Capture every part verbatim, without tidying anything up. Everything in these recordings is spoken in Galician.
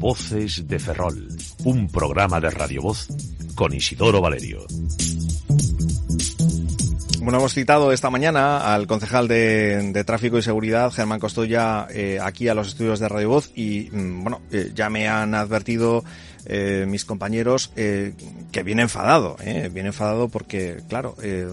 Voces de Ferrol, un programa de Radio Voz con Isidoro Valerio. Bueno, hemos citado esta mañana al concejal de, de Tráfico y Seguridad, Germán Costoya, eh, aquí a los estudios de Radio Voz y, bueno, eh, ya me han advertido eh, mis compañeros eh, que viene enfadado, eh, viene enfadado porque, claro, eh,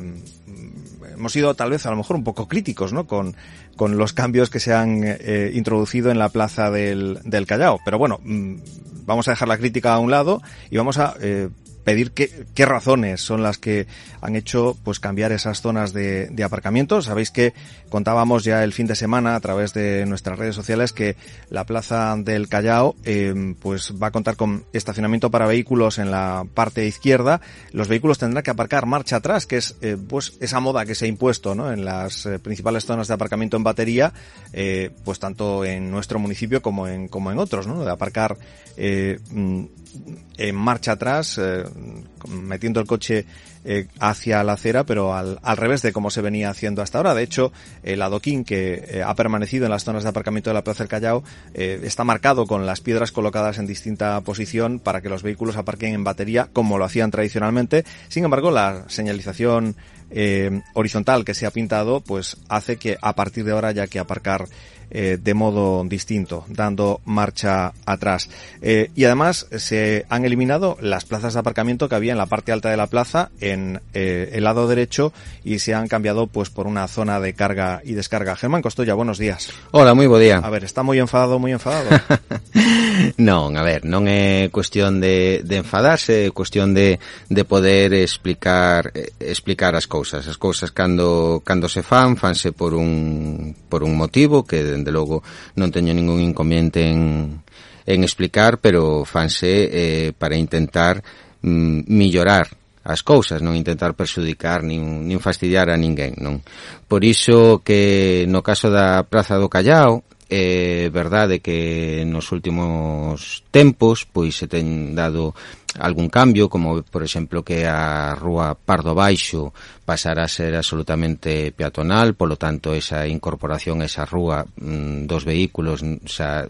hemos sido tal vez a lo mejor un poco críticos, ¿no?, con, con los cambios que se han eh, introducido en la plaza del, del Callao. Pero bueno, mmm, vamos a dejar la crítica a un lado y vamos a eh, pedir qué, qué razones son las que han hecho pues cambiar esas zonas de, de aparcamiento. Sabéis que contábamos ya el fin de semana a través de nuestras redes sociales que la plaza del Callao eh, pues va a contar con estacionamiento para vehículos en la parte izquierda. Los vehículos tendrán que aparcar marcha atrás, que es eh, pues esa moda que se ha impuesto, ¿no?, en las eh, principales zonas de aparcamiento en batería, eh, pues tanto en nuestro municipio como en como en otros, ¿no?, de aparcar eh, en marcha atrás, eh, metiendo el coche eh, hacia la acera, pero al, al revés de como se venía haciendo hasta ahora. De hecho, el adoquín que eh, ha permanecido en las zonas de aparcamiento de la Plaza del Callao eh, está marcado con las piedras colocadas en distinta posición para que los vehículos aparquen en batería como lo hacían tradicionalmente. Sin embargo, la señalización eh, horizontal que se ha pintado pues hace que a partir de ahora haya que aparcar Eh, de modo distinto, dando marcha atrás. Eh, y además se han eliminado las plazas de aparcamiento que había en la parte alta de la plaza, en eh, el lado derecho, y se han cambiado pues por una zona de carga y descarga. Germán Costoya, buenos días. Hola, moi bo día. A ver, está moi enfadado, moi enfadado. Non, a ver, non é cuestión de, de enfadarse, é cuestión de, de poder explicar explicar as cousas. As cousas cando cando se fan, fanse por un por un motivo que dende logo non teño ningún inconveniente en, en explicar, pero fanse eh, para intentar mm, mellorar as cousas, non intentar perxudicar nin, nin fastidiar a ninguén, non? Por iso que no caso da Praza do Callao, é verdade que nos últimos tempos pois se ten dado algún cambio, como por exemplo que a rúa Pardo Baixo pasara a ser absolutamente peatonal, polo tanto esa incorporación a esa rúa mmm, dos vehículos xa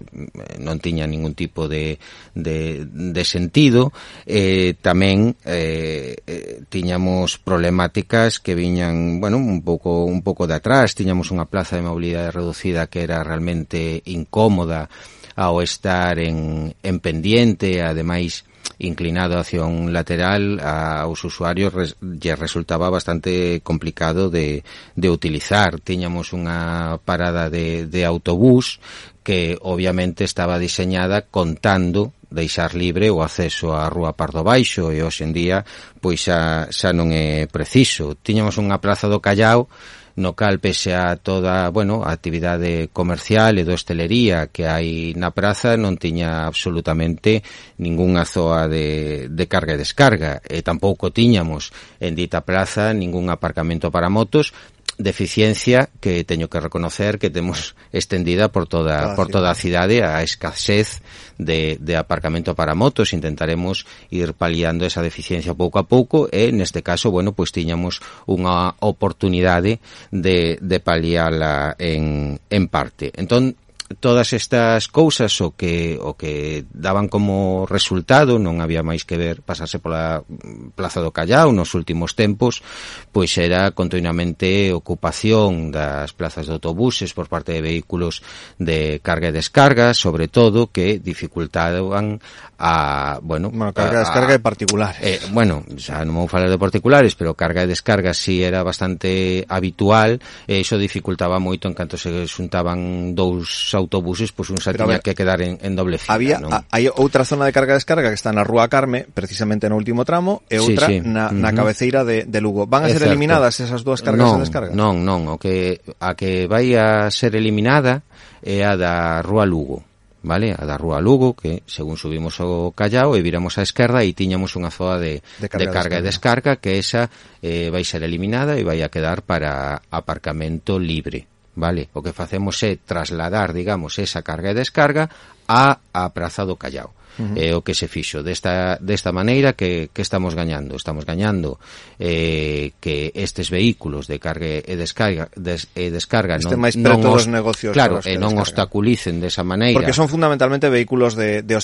non tiña ningún tipo de, de, de sentido. Eh, tamén eh, eh, tiñamos problemáticas que viñan, bueno, un pouco un pouco de atrás. Tiñamos unha plaza de mobilidade reducida que era realmente incómoda ao estar en, en pendiente, ademais inclinado hacia un lateral, aos usuarios res, lle resultaba bastante complicado de, de utilizar. Tiñamos unha parada de, de autobús que obviamente estaba diseñada contando deixar libre o acceso á rúa Pardo Baixo, e hoxe en día pois xa, xa non é preciso. Tiñamos unha plaza do Callao no cal, pese a toda, bueno, a actividade comercial e de hostelería que hai na praza, non tiña absolutamente ningunha zoa de, de carga e descarga, e tampouco tiñamos en dita plaza ningún aparcamento para motos, deficiencia que teño que reconocer que temos extendida por toda, por toda a cidade, a escasez de, de aparcamento para motos. Intentaremos ir paliando esa deficiencia pouco a pouco e neste caso, bueno, pois tiñamos unha oportunidade de, de paliala en, en parte. Entón, todas estas cousas o que o que daban como resultado, non había máis que ver pasarse pola Plaza do Callao nos últimos tempos, pois era continuamente ocupación das plazas de autobuses por parte de vehículos de carga e descarga, sobre todo que dificultaban a, bueno, bueno carga e descarga de particulares. Eh, bueno, xa non vou falar de particulares, pero carga e descarga si era bastante habitual, e iso dificultaba moito en canto se xuntaban dous autobuses, pois un xa tiña que quedar en, en doble fila. Había, non? A, hai outra zona de carga e descarga que está na Rúa Carme, precisamente no último tramo, e outra sí, sí. na, Uh-huh. na cabeceira de, de Lugo. Van a ser Exacto. eliminadas esas dúas cargas non, e descargas? Non, non, o que a que vai a ser eliminada é a da Rúa Lugo, vale? A da Rúa Lugo, que según subimos o Callao e viramos á esquerda e tiñamos unha zoa de, de carga, de carga e descarga, que esa eh, vai ser eliminada e vai a quedar para aparcamento libre. Vale, o que facemos é trasladar, digamos, esa carga e descarga a a Praza do Callao. Uh-huh. É o que se fixo. Desta, desta maneira, que, que estamos gañando? Estamos gañando eh, que estes vehículos de carga e descarga, des, e descarga este non, máis non preto os, dos negocios. claro, e non descargan. obstaculicen desa maneira. Porque son fundamentalmente vehículos de, de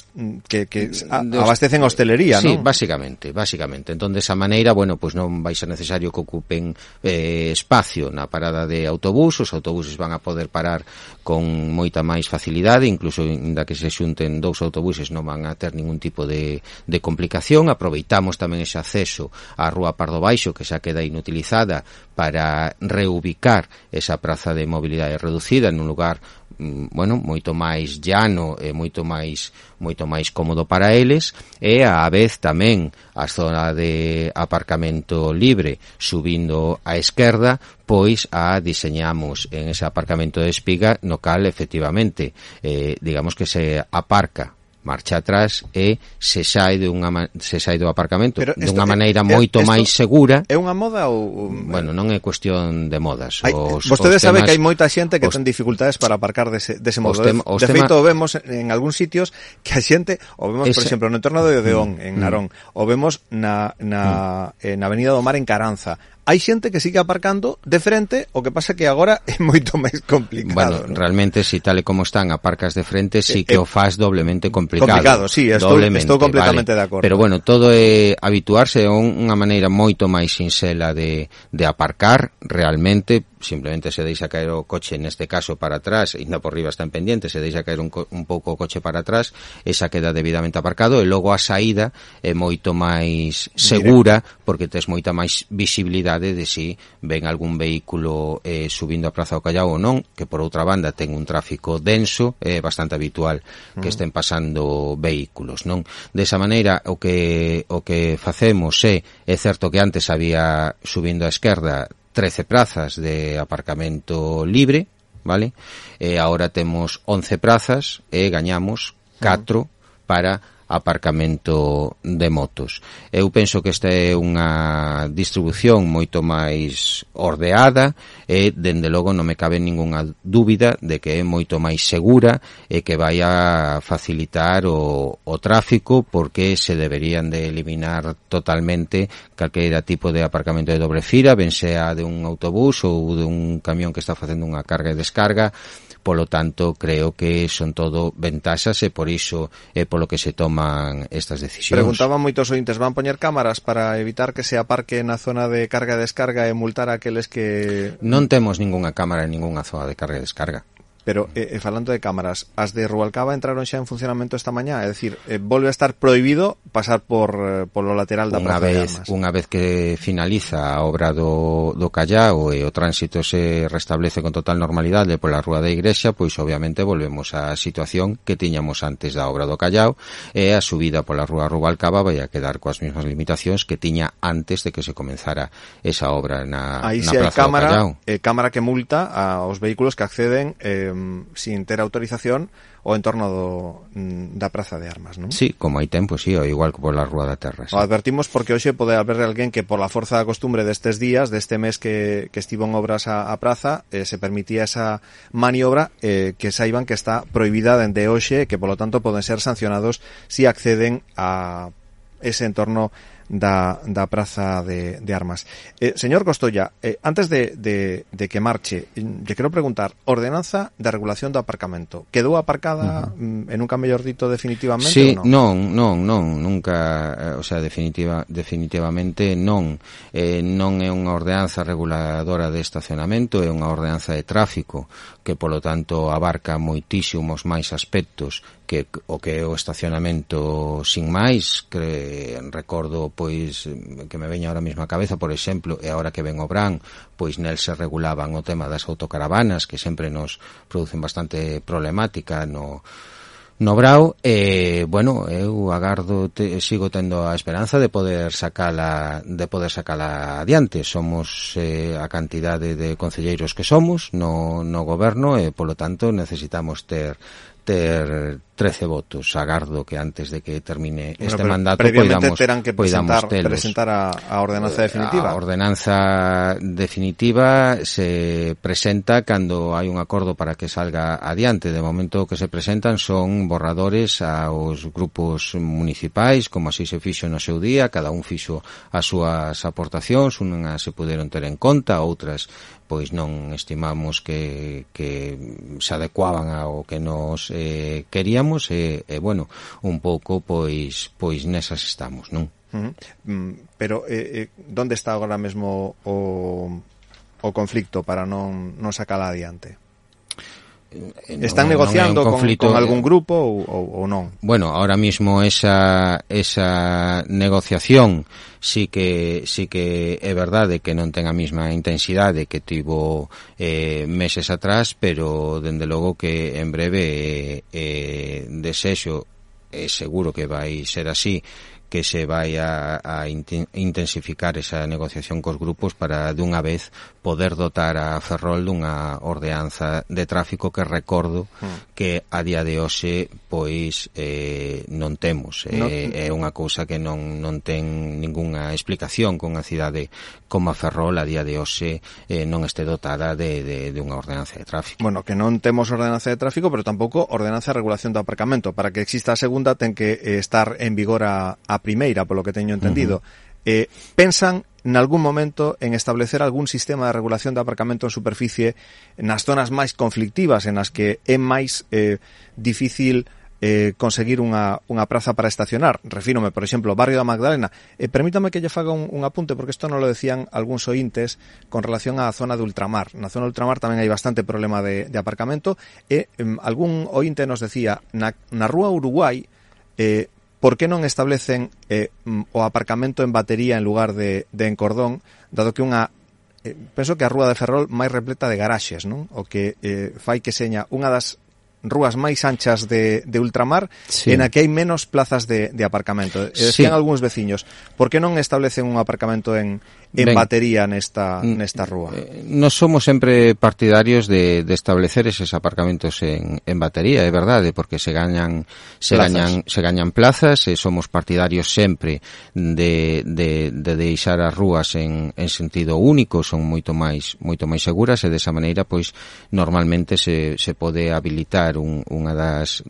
que, que a, abastecen a hostelería, sí, ¿no? Sí, básicamente, básicamente. Entón, desa maneira, bueno, pois pues non vai ser necesario que ocupen eh, espacio na parada de autobús, os autobuses van a poder parar con moita máis facilidade, incluso inda que se xunten dous autobuses non van a ter ningún tipo de, de complicación. Aproveitamos tamén ese acceso á Rúa Pardo Baixo, que xa queda inutilizada, para reubicar esa praza de mobilidade reducida nun lugar, bueno, moito máis llano e moito máis moito máis cómodo para eles, e á vez tamén a zona de aparcamento libre subindo á esquerda, pois a diseñamos en ese aparcamento de espiga, no cal efectivamente eh, digamos que se aparca marcha atrás e se sae de unha se sae do aparcamento de unha maneira moito máis segura. É unha moda ou bueno, non é cuestión de modas. Hai, os, vostedes os sabe temas, que hai moita xente que os, ten dificultades para aparcar dese, dese modo. Tem, de tema, feito, vemos en algúns sitios que a xente, o vemos, ese, por exemplo, no entorno de Odeón, mm, en Narón, mm, o vemos na, na, mm. eh, na Avenida do Mar en Caranza. Hai xente que sigue aparcando de frente, o que pasa que agora é moito máis complicado. Bueno, ¿no? Realmente, si tal e como están aparcas de frente, sí que eh, o faz doblemente complicado. Complicado, sí, estou, estou completamente vale. de acordo. Pero bueno, todo é habituarse a unha maneira moito máis sinxela de, de aparcar, realmente, simplemente se deixa caer o coche, neste caso para atrás, e ainda por riba está en pendiente, se deixa caer un, un pouco o coche para atrás, esa queda debidamente aparcado, e logo a saída é moito máis segura, directo, porque tes moita máis visibilidade de si ven algún vehículo eh, subindo a Praza do Callao ou non, que por outra banda ten un tráfico denso, é bastante habitual que uh-huh. estén pasando vehículos, non? Desa maneira, o que o que facemos é, é certo que antes había, subindo á esquerda, trece prazas de aparcamento libre, vale? E agora temos once prazas e gañamos catro uh-huh. para aparcamento de motos. Eu penso que esta é unha distribución moito máis ordeada e, dende logo, non me cabe ningunha dúbida de que é moito máis segura e que vai a facilitar o, o tráfico, porque se deberían de eliminar totalmente calqueira tipo de aparcamento de dobre fila, ben sea de un autobús ou de un camión que está facendo unha carga e descarga. Polo tanto, creo que son todo ventaxas e por iso é polo que se toman estas decisións. Preguntaban moitos ointes, van poñer cámaras para evitar que se aparque na zona de carga e descarga e multar a aqueles que... Non temos ningunha cámara en ningunha zona de carga e descarga. Pero, eh, falando de cámaras, as de Rubalcaba entraron xa en funcionamento esta mañá, é dicir, eh, volve a estar prohibido pasar por eh, polo lateral da Praza de Armas. Unha vez que finaliza a obra do, do Callao e o tránsito se restablece con total normalidade pola Rúa da Igrexa, pois obviamente volvemos á situación que tiñamos antes da obra do Callao, e a subida pola Rúa Rubalcaba vai a quedar coas mesmas limitacións que tiña antes de que se comenzara esa obra na, Aí na si Praza cámara, do Callao. Eh, cámara que multa aos vehículos que acceden eh, sin ter autorización o entorno do, da Praza de Armas, non? Sí, como hai tempo, sí, ou igual que pola Rúa da Terra. Sí. O advertimos porque hoxe pode haber alguén que por la forza da costumbre destes días, deste mes que, que estivo en obras a, a praza, eh, se permitía esa maniobra, eh, que saiban que está prohibida dende hoxe, que polo tanto poden ser sancionados si acceden a ese entorno da, da Praza de, de Armas. Eh, señor Costolla, eh, antes de, de, de que marche, lle quero preguntar, ordenanza de regulación do aparcamento, quedou aparcada uh-huh. en un mellor dito definitivamente sí, ou non? non, non, non, nunca, o sea, definitiva, definitivamente non. Eh, non é unha ordenanza reguladora de estacionamento, é unha ordenanza de tráfico que, polo tanto, abarca moitísimos máis aspectos que o que é o estacionamento sin máis, que recordo pois que me veña ahora mesmo a cabeza, por exemplo, e agora que ven o Bran, pois nel se regulaban o tema das autocaravanas, que sempre nos producen bastante problemática no no Brao, e, bueno, eu agardo, te, sigo tendo a esperanza de poder sacala, de poder sacala adiante. Somos eh, a cantidade de concelleiros que somos no, no goberno e, polo tanto, necesitamos ter ter trece votos. Agardo que antes de que termine bueno, este mandato previamente poidamos, terán que presentar, telos. presentar a, a ordenanza definitiva. A ordenanza definitiva se presenta cando hai un acordo para que salga adiante. De momento que se presentan son borradores aos grupos municipais, como así se fixo no seu día, cada un fixo as súas aportacións, unhas se puderon ter en conta, outras pois non estimamos que, que se adecuaban ao que nos eh, queríamos e, e bueno, un pouco pois pois nesas estamos, non? Uh-huh. Mm, pero eh, eh, onde está agora mesmo o, o conflicto para non, non sacala adiante? Están non, negociando non con, con algún grupo ou, ou, ou non? Bueno, ahora mismo esa esa negociación sí que sí que é verdade que non ten a mesma intensidade que tivo eh, meses atrás, pero dende logo que en breve eh, eh, desexo é seguro que vai ser así, que se vai a, a intensificar esa negociación cos grupos para dunha vez poder dotar a Ferrol dunha ordenanza de tráfico que recordo mm. que a día de hoxe pois eh, non temos. No. Eh, é unha cousa que non, non ten ningunha explicación con a cidade como a Ferrol a día de hoxe eh, non este dotada de, de, de unha ordenanza de tráfico. Bueno, que non temos ordenanza de tráfico, pero tampouco ordenanza de regulación do aparcamento. Para que exista a segunda ten que eh, estar en vigor a, a primeira, polo que teño entendido. Uh-huh. Eh, pensan nalgún momento en establecer algún sistema de regulación de aparcamento en superficie nas zonas máis conflictivas, en as que é máis eh, difícil eh, conseguir unha, unha praza para estacionar? Refírome, por exemplo, ao barrio da Magdalena. Eh, permítame que lle faga un, un apunte, porque isto non lo decían algúns ointes con relación á zona de ultramar. Na zona de ultramar tamén hai bastante problema de, de aparcamento, e eh, algún ointe nos decía, na, na rúa Uruguai, eh, por que non establecen eh, o aparcamento en batería en lugar de, de en cordón, dado que unha eh, penso que a rúa de Ferrol máis repleta de garaxes, non? O que eh, fai que seña unha das rúas máis anchas de, de ultramar, sí, en a que hai menos plazas de, de aparcamento. E decían sí. algúns veciños, por que non establecen un aparcamento en, en ben, batería nesta, nesta rúa? Eh, nos somos sempre partidarios de, de establecer eses aparcamentos en, en batería, é verdade, porque se gañan se plazas. gañan se gañan plazas, e somos partidarios sempre de, de, de deixar as rúas en, en sentido único, son moito máis moito máis seguras, e desa maneira pois normalmente se, se pode habilitar un, unha das,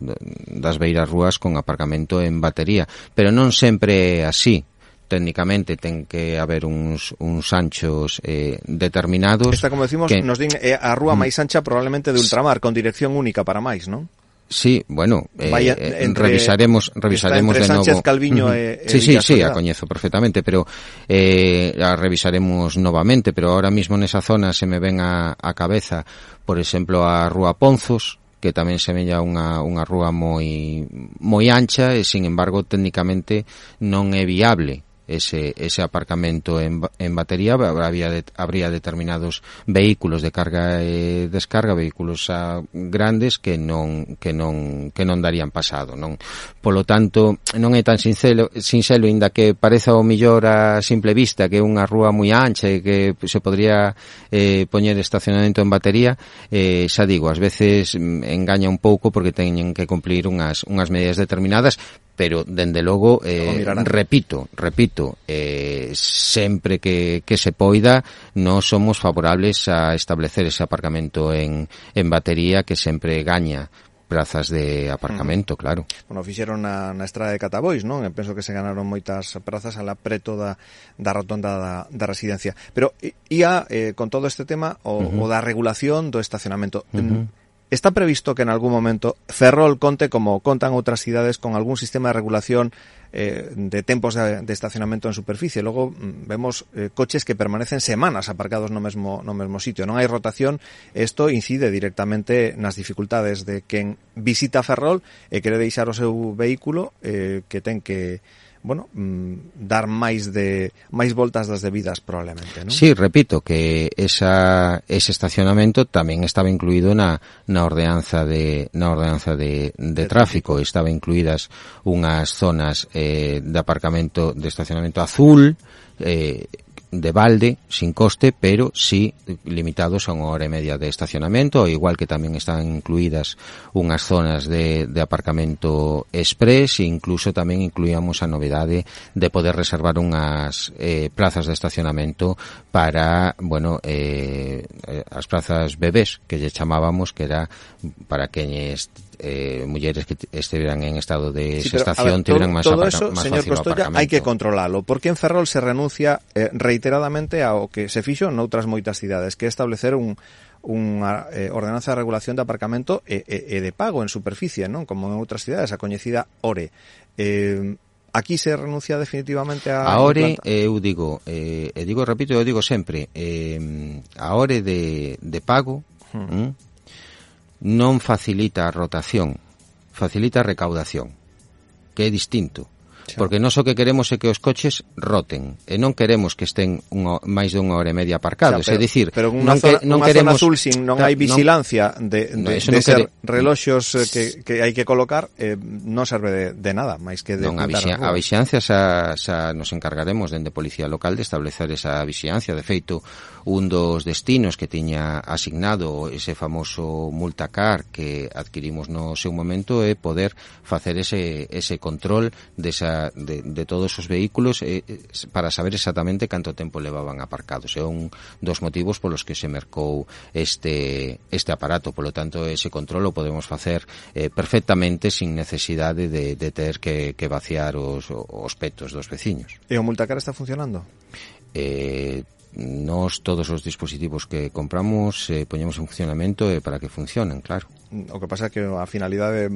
das beiras rúas con aparcamento en batería, pero non sempre é así. Técnicamente ten que haber uns, uns anchos eh, determinados. Esta, como decimos, que nos din é a rúa máis ancha probablemente de ultramar, con dirección única para máis, non? Sí, bueno, eh, Vaya, entre, revisaremos revisaremos de novo. Sánchez, Calviño e, sí, sí, sí, a coñezo perfectamente, pero eh, a revisaremos novamente, pero ahora mismo nesa zona se me ven a, a cabeza, por exemplo, a Rúa Ponzos, que tamén semella unha, unha rúa moi moi ancha, e sin embargo técnicamente non é viable ese ese aparcamento en, en batería. Habría, de, habría determinados vehículos de carga e descarga, vehículos a, grandes que non que non que non darían pasado, non. Polo tanto, non é tan sincero, sincero inda que pareza o mellor a simple vista que é unha rúa moi ancha e que se podría eh, poñer estacionamento en batería. Eh, xa digo, ás veces engaña un pouco porque teñen que cumplir unhas unhas medidas determinadas, pero dende logo eh, repito, repito, eh, sempre que, que se poida, non somos favorables a establecer ese aparcamento en, en batería, que sempre gaña plazas de aparcamento, mm. claro. Bueno, fixeron na, na estrada de Catabois, non? Eu penso que se ganaron moitas prazas ala preto da, da rotonda da, da residencia. Pero ia, eh, con todo este tema, o, uh-huh. o da regulación do estacionamento. Uh-huh. Está previsto que en algún momento Ferrol conte, como contan outras cidades, con algún sistema de regulación eh, de tempos de, de estacionamento en superficie. Logo vemos eh, coches que permanecen semanas aparcados no mesmo no mesmo sitio. Non hai rotación. Isto incide directamente nas dificultades de quen visita Ferrol e quere deixar o seu vehículo, eh, que ten que bueno, mm, dar máis de máis voltas das debidas probablemente, non? Sí, repito que esa ese estacionamento tamén estaba incluído na na ordenanza de na ordenanza de de, de tráfico, estaba incluídas unhas zonas eh, de aparcamento de estacionamento azul, eh de balde, sin coste, pero sí limitados a unha hora e media de estacionamento, igual que tamén están incluídas unhas zonas de, de aparcamento express, e incluso tamén incluíamos a novedade de poder reservar unhas eh, plazas de estacionamento para, bueno, eh, as plazas bebés, que lle chamábamos, que era para queñes eh, mulleres que estiveran en estado de sí, gestación, tiveran máis todo aparca- eso, máis señor fácil o Costolla, aparcamento. hai que controlalo, porque en Ferrol se renuncia eh, reiteradamente ao que se fixo noutras moitas cidades, que é establecer un unha eh, ordenanza de regulación de aparcamento e, e, e de pago en superficie, non? Como en outras cidades, a coñecida O R E. Eh, aquí se renuncia definitivamente a... A O R E, eu digo, eh, e digo, repito, eu digo sempre, eh, a O R E de, de pago hmm. hm, non facilita a rotación, facilita a recaudación, que é distinto. Porque nós o que queremos é que os coches roten e non queremos que estén unha, máis de unha hora e media aparcados, o sea, pero, é dicir, pero non, zona, que, non unha queremos zona azul sin non hai vigilancia non, de, de, no, de non ser quere... reloxos que, que hai que colocar, eh, non serve de, de nada, máis que de non, a, vixia, a vixiancia xa, xa nos encargaremos dende Policía Local de establecer esa vixiancia. De feito, un dos destinos que tiña asignado ese famoso multacar que adquirimos no seu momento é poder facer ese, ese control desa, de, de todos os vehículos eh, para saber exactamente canto tempo levaban aparcados. É un dos motivos polos que se mercou este, este aparato. Polo tanto, ese control o podemos facer eh, perfectamente sin necesidade de, de ter que, que vaciar os, os petos dos veciños. E o multacar está funcionando? Eh... Nos todos os dispositivos que compramos eh, poñemos en funcionamento eh, para que funcionen, claro. O que pasa é que a finalidade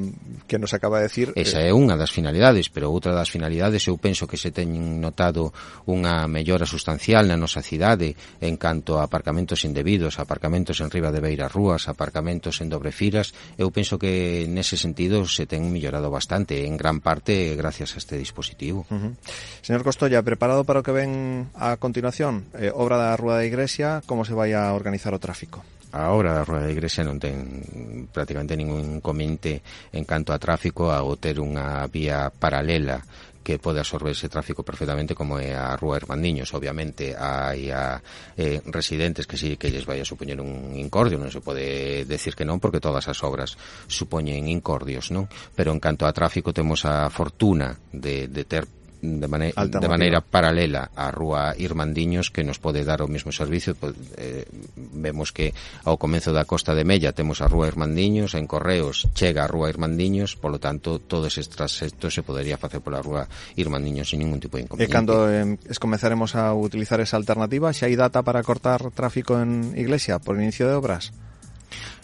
que nos acaba de decir... Esa é unha das finalidades, pero outra das finalidades eu penso que se teñen notado unha mellora sustancial na nosa cidade en canto a aparcamentos indebidos, aparcamentos en riba de beiras rúas, aparcamentos en dobre firas. Eu penso que nese sentido se ten mellorado bastante, en gran parte gracias a este dispositivo. Uh-huh. Señor Costolla, preparado para o que ven a continuación? Eh, obra da Rúa da Igrexa, como se vai a organizar o tráfico? A obra da Rúa da Igrexa non ten prácticamente ningún inconveniente en canto a tráfico ao ter unha vía paralela que pode absorber ese tráfico perfectamente, como é a Rúa Hermandiños. Obviamente hai a eh, residentes que sí que lles vai a supoñer un incordio, non se pode decir que non, porque todas as obras supoñen incordios, non? Pero en canto a tráfico temos a fortuna de, de ter de, mane- de maneira paralela á Rúa Irmandiños, que nos pode dar o mesmo servicio. Eh, vemos que ao comezo da Costa de Mella temos a Rúa Irmandiños, en Correos chega a Rúa Irmandiños, polo tanto todo ese traxecto se podería facer pola Rúa Irmandiños sin ningún tipo de inconveniente. E cando eh, comezaremos a utilizar esa alternativa, xa hai data para cortar tráfico en Iglesia por inicio de obras?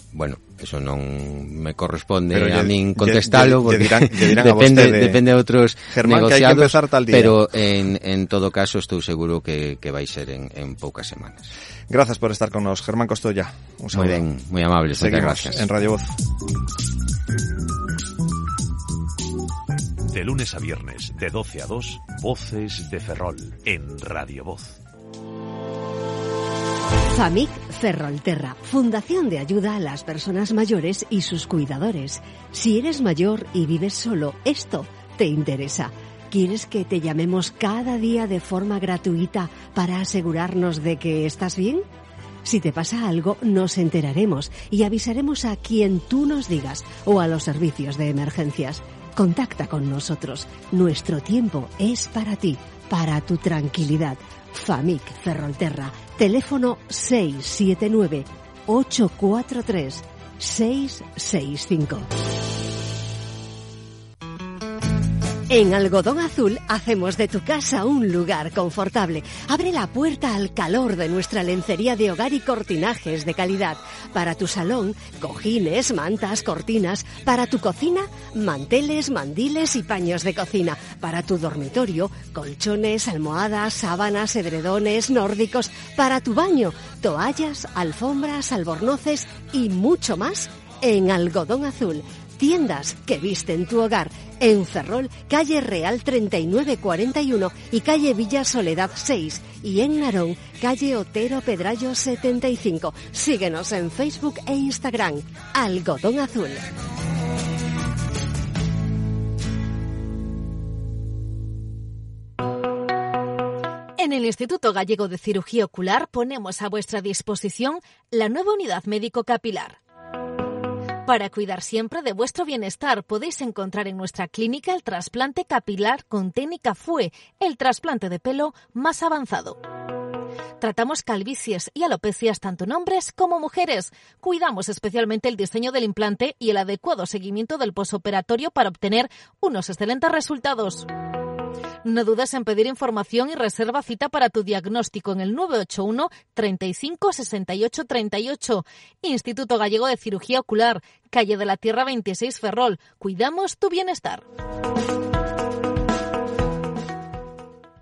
Bueno, eso non me corresponde pero a lle, min contestalo, lle, lle porque dirán, lle dirán depende, a depende de outros Germán, negociados, que hai que empezar tal día. Pero en, en todo caso estou seguro que, que vai ser en, en poucas semanas. Gracias por estar con nos, Germán Costolla. Un saludo. Muy ben, moi amable, moitas gracias. En Radio Voz. De lunes a viernes, de doce a dos, Voces de Ferrol, en Radio Voz. FAMIC Ferrolterra, Fundación de Ayuda a las Personas Mayores y sus Cuidadores. Si eres mayor y vives solo, esto te interesa. ¿Quieres que te llamemos cada día de forma gratuita para asegurarnos de que estás bien? Si te pasa algo, nos enteraremos y avisaremos a quien tú nos digas o a los servicios de emergencias. Contacta con nosotros. Nuestro tiempo es para ti, para tu tranquilidad. FAMIC Ferrolterra, teléfono seis siete nueve, ocho cuatro tres, seis seis cinco. En Algodón Azul hacemos de tu casa un lugar confortable. Abre la puerta al calor de nuestra lencería de hogar y cortinajes de calidad. Para tu salón, cojines, mantas, cortinas. Para tu cocina, manteles, mandiles y paños de cocina. Para tu dormitorio, colchones, almohadas, sábanas, edredones, nórdicos. Para tu baño, toallas, alfombras, albornoces y mucho más en Algodón Azul. Tiendas que visten tu hogar. En Ferrol, calle Real treinta y nueve cuarenta y uno y calle Villa Soledad seis. Y en Narón, calle Otero Pedrayo setenta y cinco. Síguenos en Facebook e Instagram. Algodón Azul. En el Instituto Gallego de Cirugía Ocular ponemos a vuestra disposición la nueva unidad médico capilar. Para cuidar siempre de vuestro bienestar, podéis encontrar en nuestra clínica el trasplante capilar con técnica F U E, el trasplante de pelo más avanzado. Tratamos calvicies y alopecias tanto en hombres como mujeres. Cuidamos especialmente el diseño del implante y el adecuado seguimiento del posoperatorio para obtener unos excelentes resultados. No dudes en pedir información y reserva cita para tu diagnóstico en el nueve ocho uno, treinta y cinco, sesenta y ocho, treinta y ocho. Instituto Gallego de Cirugía Ocular, calle de la Tierra veintiséis, Ferrol. Cuidamos tu bienestar.